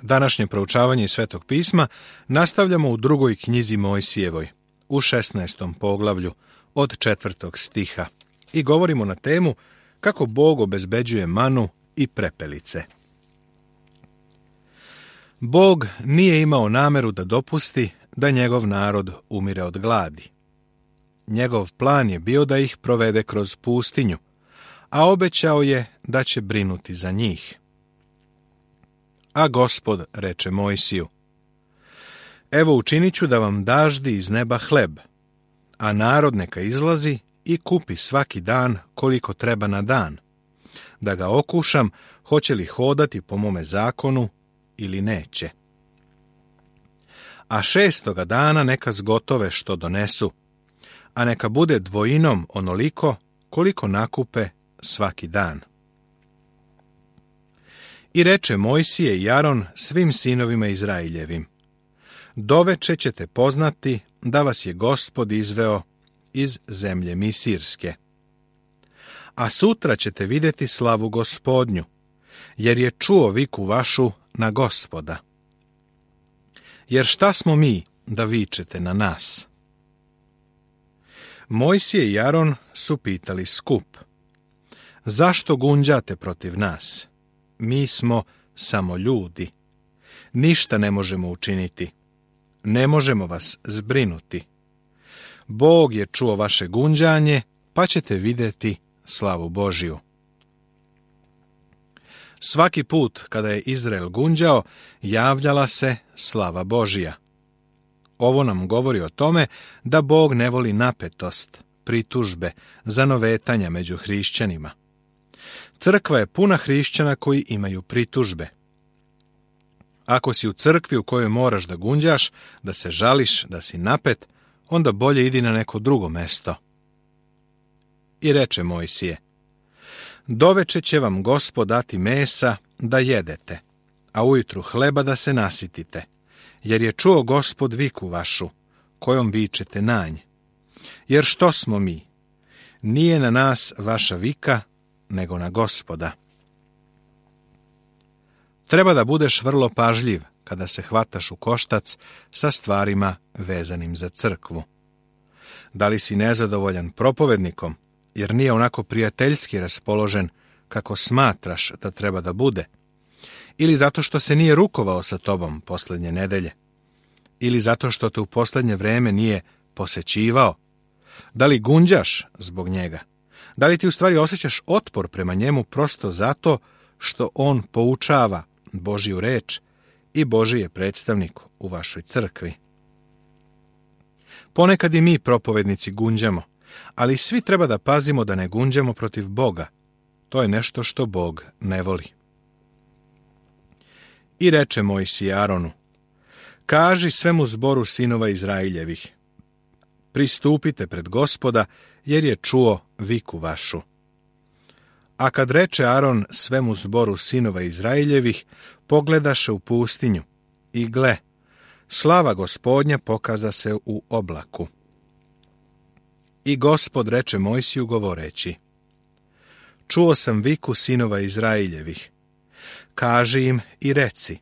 Današnje proučavanje iz Svetog pisma nastavljamo u drugoj knjizi Mojsijevoj, u 16. poglavlju, od 4. stiha, i govorimo na temu kako Bog obezbeđuje manu i prepelice. Bog nije imao nameru da dopusti da njegov narod umire od gladi. Njegov plan je bio da ih provede kroz pustinju, a obećao je da će brinuti za njih. A Gospod reče Mojsiju: Evo učinit ću da vam daždi iz neba hleb, a narod neka izlazi i kupi svaki dan koliko treba na dan, da ga okušam hoće li hodati po mome zakonu ili neće. A 6. dana neka zgotove što donesu, a neka bude dvojinom onoliko koliko nakupe svaki dan. I reče Mojsije i Aron svim sinovima Izraeljevim: Doveče ćete poznati da vas je Gospod izveo iz zemlje Misirske. A sutra ćete vidjeti slavu Gospodnju, jer je čuo viku vašu na Gospoda. Jer šta smo mi da vičete na nas? Mojsije i Aron su pitali skup: Zašto gunđate protiv nas? Mi smo samo ljudi. Ništa ne možemo učiniti. Ne možemo vas zbrinuti. Bog je čuo vaše gunđanje, pa ćete vidjeti slavu Božju. Svaki put kada je Izrael gunđao, javljala se slava Božja. Ovo nam govori o tome da Bog ne voli napetost, pritužbe, zanovetanja među hrišćanima. Crkva je puna hrišćana koji imaju pritužbe. Ako si u crkvi u kojoj moraš da gunđaš, da se žališ, da si napet, onda bolje idi na neko drugo mesto. I reče Mojsije: Doveče će vam Gospod dati mesa da jedete, a ujutru hleba da se nasitite, jer je čuo Gospod viku vašu, kojom vičete nanj. Jer što smo mi? Nije na nas vaša vika, nego na Gospoda. Treba da budeš vrlo pažljiv kada se hvataš u koštac sa stvarima vezanim za crkvu. Da li si nezadovoljan propovednikom, jer nije onako prijateljski raspoložen kako smatraš da treba da bude, ili zato što se nije rukovao sa tobom posljednje nedelje, ili zato što te u posljednje vreme nije posećivao? Da li gunđaš zbog njega? Da li ti u stvari osjećaš otpor prema njemu prosto zato što on poučava Božju reč i Božji je predstavnik u vašoj crkvi? Ponekad i mi propovednici gunđamo, ali svi treba da pazimo da ne gunđamo protiv Boga. To je nešto što Bog ne voli. I reče Mojsije Aronu: Kaži svemu zboru sinova Izraeljevih: Pristupite pred Gospoda, jer je čuo viku vašu. A kad reče Aron svemu zboru sinova Izraeljevih, pogledaše u pustinju, i gle, slava Gospodnja pokaza se u oblaku. I Gospod reče Mojsiju govoreći: Čuo sam viku sinova Izraeljevih. Kaži im i reci: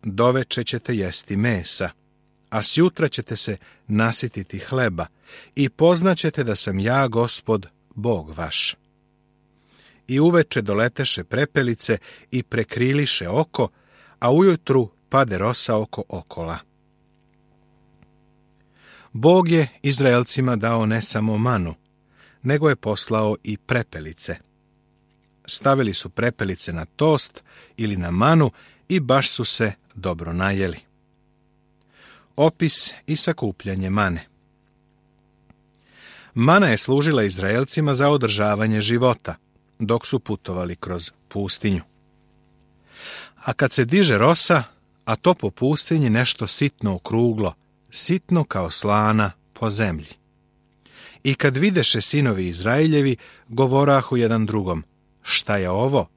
Doveče ćete jesti mesa, a sjutra ćete se nasititi hleba, i poznaćete da sam ja Gospod, Bog vaš. I uveče doleteše prepelice i prekriliše oko, a ujutru pade rosa oko okola. Bog je Izraelcima dao ne samo manu, nego je poslao i prepelice. Stavili su prepelice na tost ili na manu i baš su se dobro najeli. Opis i sakupljanje mane. Mana je služila Izraelcima za održavanje života, dok su putovali kroz pustinju. A kad se diže rosa, a to po pustinji nešto sitno okruglo, sitno kao slana po zemlji. I kad videše sinovi Izraeljevi, govorahu jedan drugom: Šta je ovo?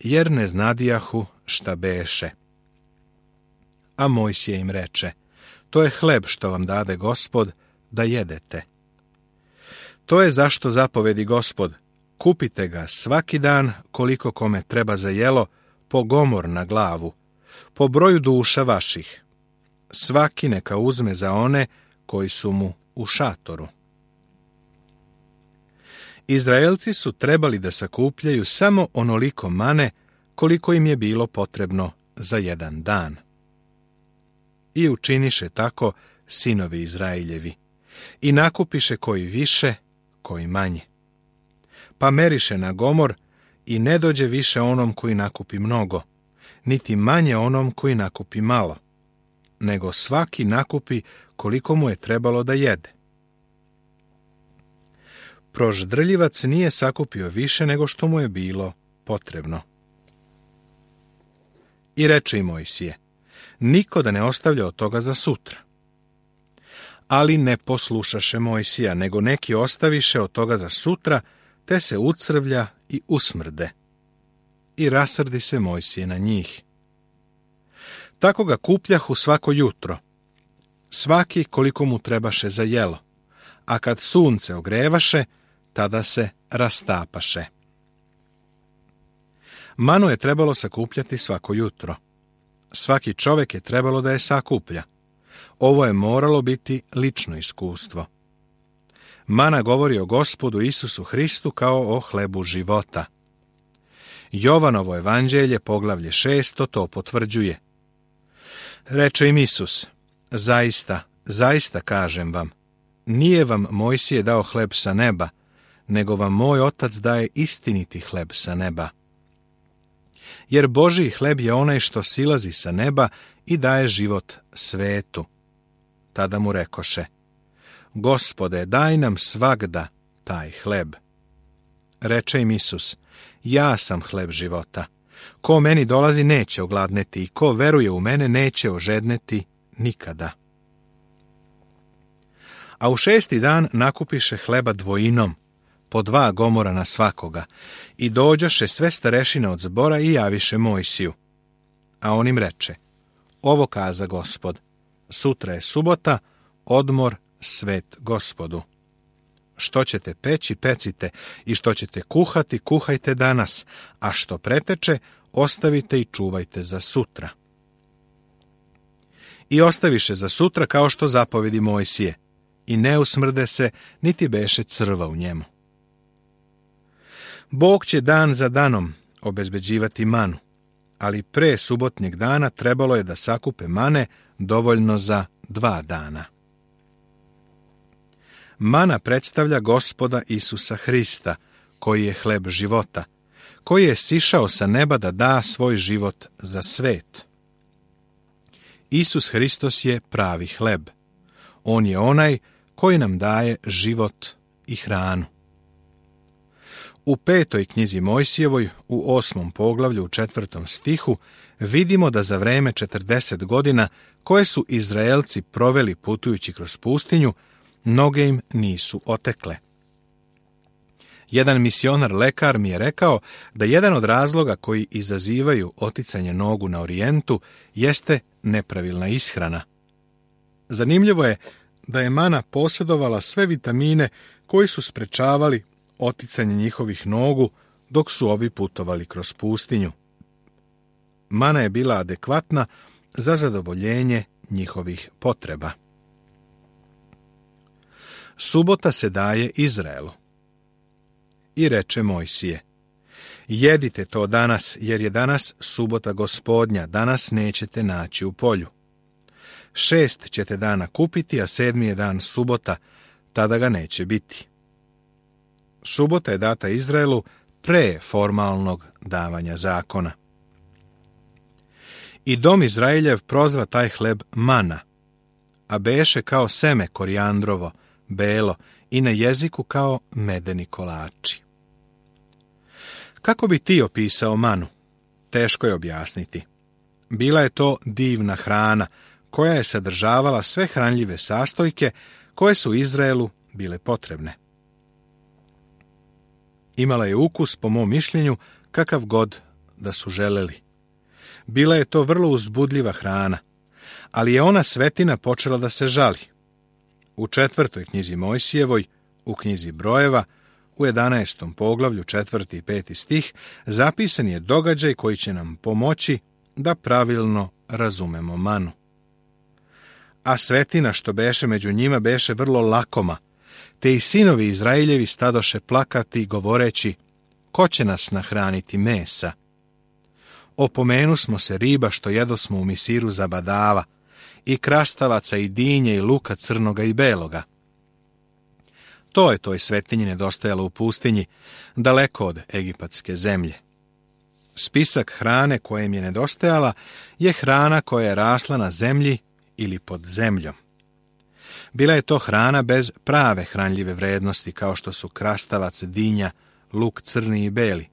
Jer ne znadijahu šta beše. A Mojsije im reče: To je hleb što vam dade Gospod da jedete. To je zašto zapovedi Gospod: Kupite ga svaki dan koliko kome treba za jelo, po gomor na glavu, po broju duša vaših. Svaki neka uzme za one koji su mu u šatoru. Izraelci su trebali da sakupljaju samo onoliko mane koliko im je bilo potrebno za jedan dan. I učiniše tako sinovi Izraeljevi, i nakupiše koji više, koji manje. Pa meriše na gomor i ne dođe više onom koji nakupi mnogo, niti manje onom koji nakupi malo, nego svaki nakupi koliko mu je trebalo da jede. Proždrljivac nije sakupio više nego što mu je bilo potrebno. I reče i Mojsije, niko da ne ostavlja od toga za sutra. Ali ne poslušaše Mojsija, nego neki ostaviše od toga za sutra, te se ucrvlja i usmrde. I rasrdi se Mojsije na njih. Tako ga kupljahu svako jutro, svaki koliko mu trebaše za jelo, a kad sunce ogrevaše, tada se rastapaše. Manu je trebalo sakupljati svako jutro. Svaki čovjek je trebalo da je sakuplja. Ovo je moralo biti lično iskustvo. Mana govori o Gospodu Isusu Hristu kao o hlebu života. Jovanovo evanđelje, poglavlje 6, to potvrđuje. Reče im Isus, zaista, zaista kažem vam, nije vam Mojsije dao hleb sa neba, nego vam moj otac daje istiniti hleb sa neba. Jer Božji hleb je onaj što silazi sa neba i daje život svetu. Tada mu rekoše, Gospode, daj nam svagda taj hleb. Reče im Isus, ja sam hleb života. Ko meni dolazi neće ogladneti i ko veruje u mene neće ožedneti nikada. A u 6. dan nakupiše hleba dvojinom, po 2 gomora na svakoga, i dođoše sve starešine od zbora i javiše Mojsiju. A on im reče, ovo kaza Gospod, sutra je subota, odmor, svet Gospodu. Što ćete peći, pecite, i što ćete kuhati, kuhajte danas, a što preteče, ostavite i čuvajte za sutra. I ostaviše za sutra kao što zapovedi Mojsije, i ne usmrde se, niti beše crva u njemu. Bog će dan za danom obezbeđivati manu, ali pre subotnjeg dana trebalo je da sakupe mane dovoljno za 2 dana. Mana predstavlja Gospoda Isusa Hrista, koji je hleb života, koji je sišao sa neba da da svoj život za svet. Isus Hristos je pravi hleb. On je onaj koji nam daje život i hranu. U 5. knjizi Mojsijevoj, u 8. poglavlju, u 4. stihu, vidimo da za vreme 40 godina koje su Izraelci proveli putujući kroz pustinju, noge im nisu otekle. Jedan misionar lekar mi je rekao da jedan od razloga koji izazivaju oticanje nogu na orijentu jeste nepravilna ishrana. Zanimljivo je da je mana posjedovala sve vitamine koji su sprečavali oticanje njihovih nogu dok su ovi putovali kroz pustinju. Mana je bila adekvatna za zadovoljenje njihovih potreba. Subota se daje Izraelu. I reče Mojsije, jedite to danas, jer je danas subota Gospodnja, danas nećete naći u polju. 6 ćete dana kupiti, a 7. je dan subota, tada ga neće biti. Subota je data Izraelu pre formalnog davanja zakona. I dom Izraeljev prozva taj hleb mana, a beše kao seme korijandrovo, belo, i na jeziku kao medeni kolači. Kako bi ti opisao manu? Teško je objasniti. Bila je to divna hrana, koja je sadržavala sve hranljive sastojke koje su Izraelu bile potrebne. Imala je ukus, po mom mišljenju, kakav god da su želeli. Bila je to vrlo uzbudljiva hrana, ali je ona svetina počela da se žali. U 4. knjizi Mojsijevoj, u knjizi Brojeva, u 11. poglavlju 4. i 5. stih, zapisan je događaj koji će nam pomoći da pravilno razumemo manu. A svetina što beše među njima beše vrlo lakoma, te i sinovi Izraeljevi stadoše plakati govoreći, ko će nas nahraniti mesa? Opomenu smo se riba što jedosmo u Misiru zabadava, i krastavaca i dinje i luka crnoga i beloga. To je toj svetinji nedostajalo u pustinji, daleko od egipatske zemlje. Spisak hrane koja im je nedostajala je hrana koja je rasla na zemlji ili pod zemljom. Bila je to hrana bez prave hranljive vrednosti, kao što su krastavac, dinja, luk crni i beli.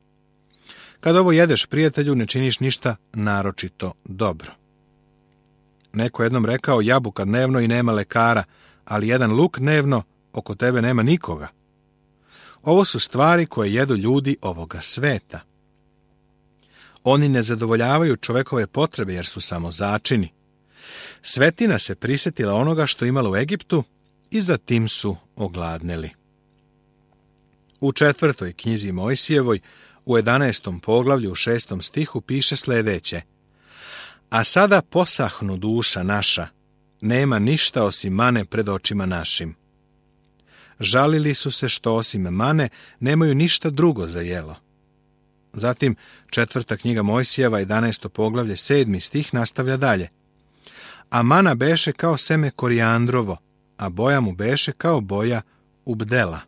Kad ovo jedeš, prijatelju, ne činiš ništa naročito dobro. Neko jednom rekao, jabuka dnevno i nema lekara, ali jedan luk dnevno, oko tebe nema nikoga. Ovo su stvari koje jedu ljudi ovoga sveta. Oni ne zadovoljavaju čovekove potrebe jer su samo začini. Svetina se prisjetila onoga što imala u Egiptu i za tim su ogladneli. U 4. knjizi Mojsijevoj, u 11. poglavlju u 6. stihu piše sljedeće: A sada posahnu duša naša, nema ništa osim mane pred očima našim. Žalili su se što osim mane nemaju ništa drugo za jelo. Zatim 4. knjiga Mojsijeva, 11. poglavlje, 7. stih nastavlja dalje. A mana beše kao seme korijandrovo, a boja mu beše kao boja ubdela.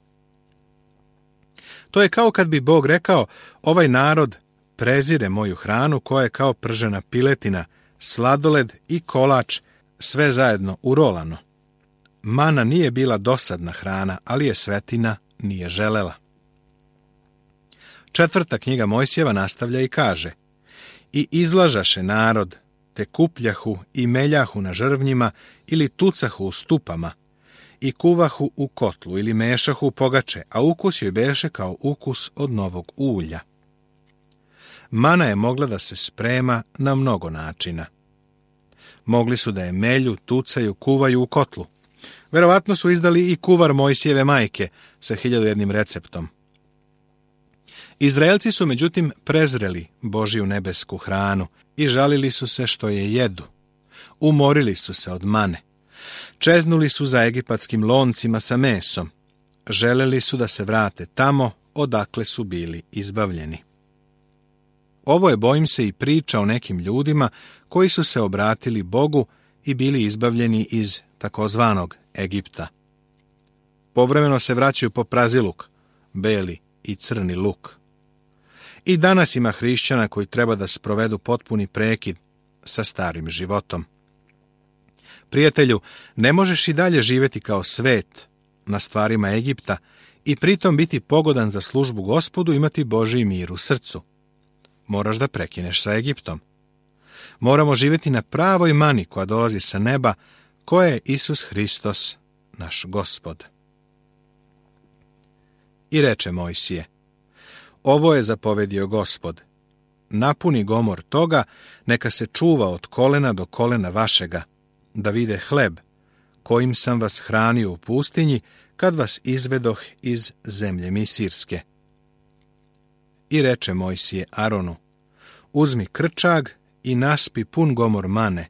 To je kao kad bi Bog rekao, ovaj narod prezire moju hranu koja je kao pržena piletina, sladoled i kolač, sve zajedno urolano. Mana nije bila dosadna hrana, ali je svetina nije želela. 4. knjiga Mojsijeva nastavlja i kaže: I izlažaše narod, te kupljahu i meljahu na žrvnjima ili tucahu u stupama, i kuvahu u kotlu ili mešahu u pogače, a ukus joj beše kao ukus od novog ulja. Mana je mogla da se sprema na mnogo načina. Mogli su da je melju, tucaju, kuvaju u kotlu. Verovatno su izdali i kuvar Mojsijeve majke sa 1001 receptom. Izraelci su međutim prezreli Božiju nebesku hranu i žalili su se što je jedu. Umorili su se od mane. Čeznuli su za egipatskim loncima sa mesom. Želeli su da se vrate tamo odakle su bili izbavljeni. Ovo je, bojim se, i priča o nekim ljudima koji su se obratili Bogu i bili izbavljeni iz takozvanog Egipta. Povremeno se vraćaju po praziluk, beli i crni luk. I danas ima hrišćana koji treba da sprovedu potpuni prekid sa starim životom. Prijatelju, ne možeš i dalje živjeti kao svet na stvarima Egipta i pritom biti pogodan za službu Gospodu i imati Božji mir u srcu. Moraš da prekineš sa Egiptom. Moramo živjeti na pravoj mani koja dolazi sa neba, koja je Isus Hristos, naš Gospod. I reče Mojsije: Ovo je zapovedio Gospod. Napuni gomor toga, neka se čuva od kolena do kolena vašega, da vide hleb, kojim sam vas hranio u pustinji, kad vas izvedoh iz zemlje Misirske. I reče Mojsije Aronu: Uzmi krčag i naspi pun gomor mane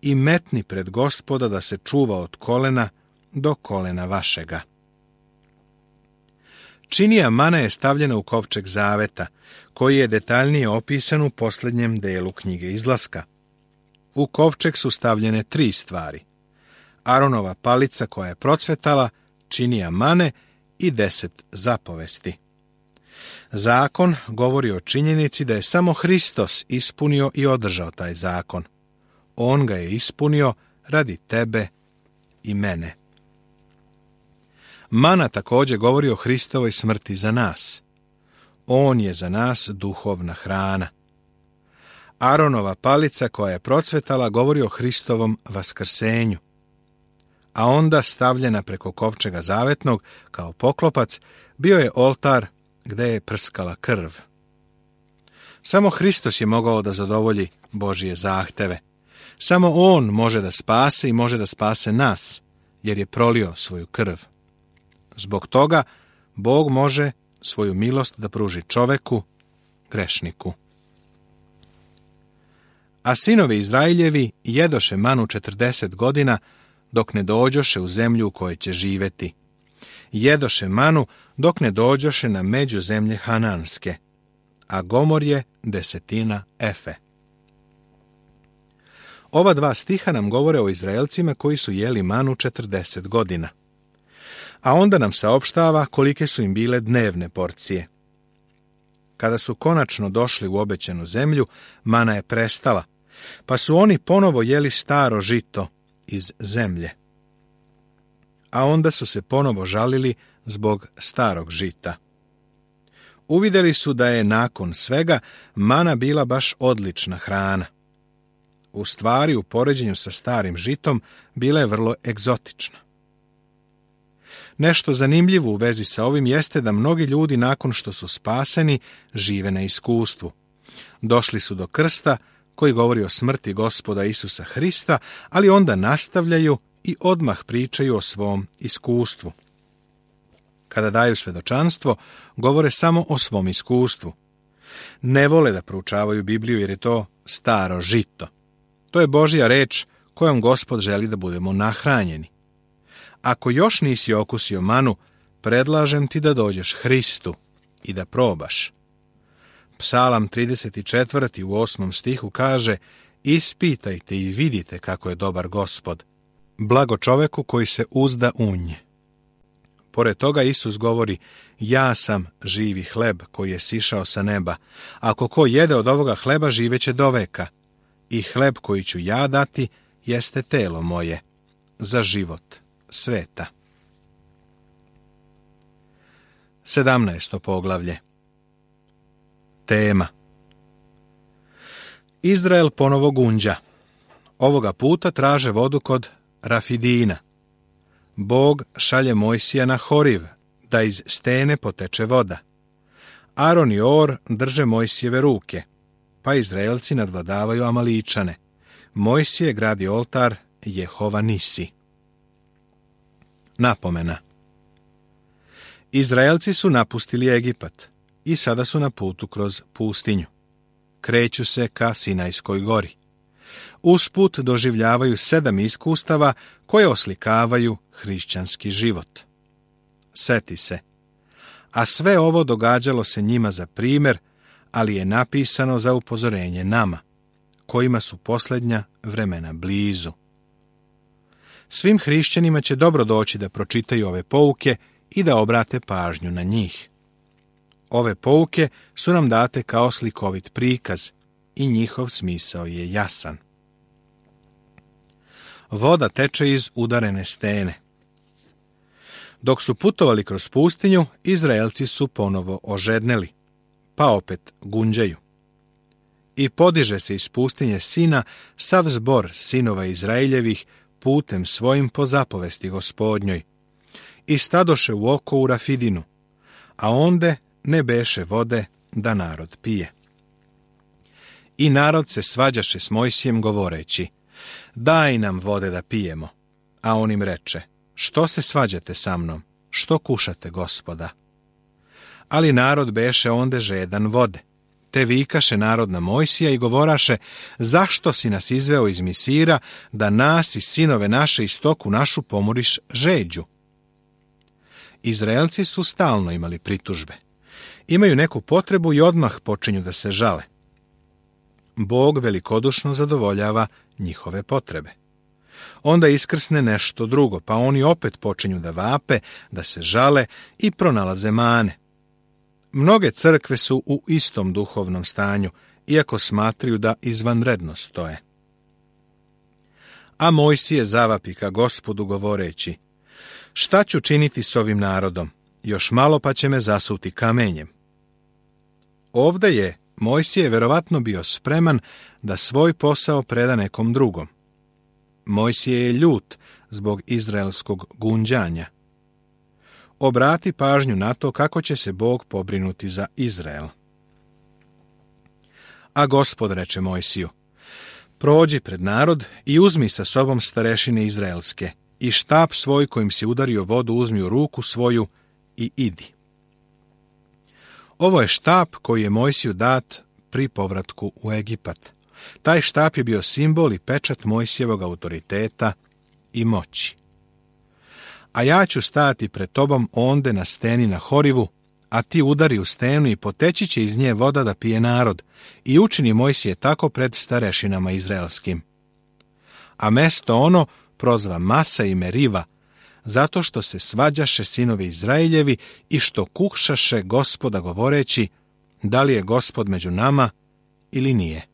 i metni pred Gospoda da se čuva od kolena do kolena vašega. Činija mane je stavljena u kovčeg zaveta, koji je detaljnije opisan u posljednjem delu knjige Izlaska. U kovčeg su stavljene 3 stvari: Aronova palica koja je procvetala, činija mane i 10 zapovesti. Zakon govori o činjenici da je samo Hristos ispunio i održao taj zakon. On ga je ispunio radi tebe i mene. Mana također govori o Hristovoj smrti za nas. On je za nas duhovna hrana. Aronova palica koja je procvetala govori o Hristovom vaskrsenju. A onda stavljena preko kovčega zavetnog kao poklopac bio je oltar gde je prskala krv. Samo Hristos je mogao da zadovolji Božije zahteve. Samo On može da spase i može da spase nas, jer je prolio svoju krv. Zbog toga Bog može svoju milost da pruži čoveku, grešniku. A sinovi Izraeljevi jedoše manu 40 godina, dok ne dođoše u zemlju u kojoj će živeti. Jedoše manu, dok ne dođoše na među zemlje Hananske, a Gomor je 10 efe. Ova 2 stiha nam govore o Izraelcima koji su jeli manu 40 godina. A onda nam saopštava kolike su im bile dnevne porcije. Kada su konačno došli u obećanu zemlju, mana je prestala, pa su oni ponovo jeli staro žito iz zemlje. A onda su se ponovo žalili zbog starog žita. Uvidjeli su da je nakon svega mana bila baš odlična hrana. U stvari, u poređenju sa starim žitom, bila je vrlo egzotična. Nešto zanimljivo u vezi sa ovim jeste da mnogi ljudi nakon što su spaseni žive na iskustvu. Došli su do krsta koji govori o smrti Gospoda Isusa Hrista, ali onda nastavljaju i odmah pričaju o svom iskustvu. Kada daju svjedočanstvo, govore samo o svom iskustvu. Ne vole da proučavaju Bibliju jer je to staro žito. To je Božja reč kojom Gospod želi da budemo nahranjeni. Ako još nisi okusio manu, predlažem ti da dođeš Hristu i da probaš. Psalam 34. u 8. stihu kaže: ispitajte i vidite kako je dobar Gospod. Blago čoveku koji se uzda u nje. Pored toga Isus govori: ja sam živi hleb koji je sišao sa neba. Ako ko jede od ovoga hleba, živeće do veka. I hleb koji ću ja dati jeste telo moje za život sveta. 17. poglavlje. Tema: Izrael ponovo gunđa. Ovoga puta traže vodu kod Rafidina. Bog šalje Mojsija na Horiv, da iz stene poteče voda. Aron i Or drže Mojsijeve ruke, pa Izraelci nadvladavaju Amaličane. Mojsije gradi oltar Jehova Nisi. Napomena: Izraelci su napustili Egipat i sada su na putu kroz pustinju. Kreću se ka Sinajskoj gori. Usput doživljavaju 7 iskustava koje oslikavaju hrišćanski život. Seti se, a sve ovo događalo se njima za primjer, ali je napisano za upozorenje nama, kojima su posljednja vremena blizu. Svim hrišćanima će dobro doći da pročitaju ove pouke i da obrate pažnju na njih. Ove pouke su nam date kao slikovit prikaz i njihov smisao je jasan. Voda teče iz udarene stene. Dok su putovali kroz pustinju, Izraelci su ponovo ožedneli, pa opet gunđaju. I podiže se iz pustinje Sina sav zbor sinova Izraeljevih putem svojim po zapovesti Gospodnjoj. I stadoše u oko u Rafidinu, a onde ne beše vode da narod pije. I narod se svađaše s Mojsijem govoreći: daj nam vode da pijemo. A on im reče: što se svađate sa mnom, što kušate Gospoda? Ali narod beše onde žedan vode, te vikaše narod na Mojsija i govoraše: zašto si nas izveo iz Misira, da nas i sinove naše i stoku našu pomoriš žeđu? Izraelci su stalno imali pritužbe. Imaju neku potrebu i odmah počinju da se žale. Bog velikodušno zadovoljava njihove potrebe. Onda iskrsne nešto drugo, pa oni opet počinju da vape, da se žale i pronalaze mane. Mnoge crkve su u istom duhovnom stanju, iako smatraju da izvanredno stoje. A Mojsije zavapi ka Gospodu govoreći: šta ću činiti s ovim narodom? Još malo pa će me zasuti kamenjem. Ovdje je Mojsije verovatno bio spreman da svoj posao preda nekom drugom. Mojsije je ljut zbog izraelskog gunđanja. Obrati pažnju na to kako će se Bog pobrinuti za Izrael. A Gospod reče Mojsiju: prođi pred narod i uzmi sa sobom starešine izraelske i štap svoj kojim si udario vodu uzmi u ruku svoju i idi. Ovo je štap koji je Mojsiju dat pri povratku u Egipat. Taj štap je bio simbol i pečat Mojsijevog autoriteta i moći. A ja ću stati pred tobom onde na steni na Horivu, a ti udari u stenu i poteći će iz nje voda da pije narod, i učini Mojsije tako pred starešinama izraelskim. A mesto ono prozva Masa i Meriva, zato što se svađaše sinovi Izraeljevi i što kukšaše Gospoda govoreći, da li je Gospod među nama ili nije.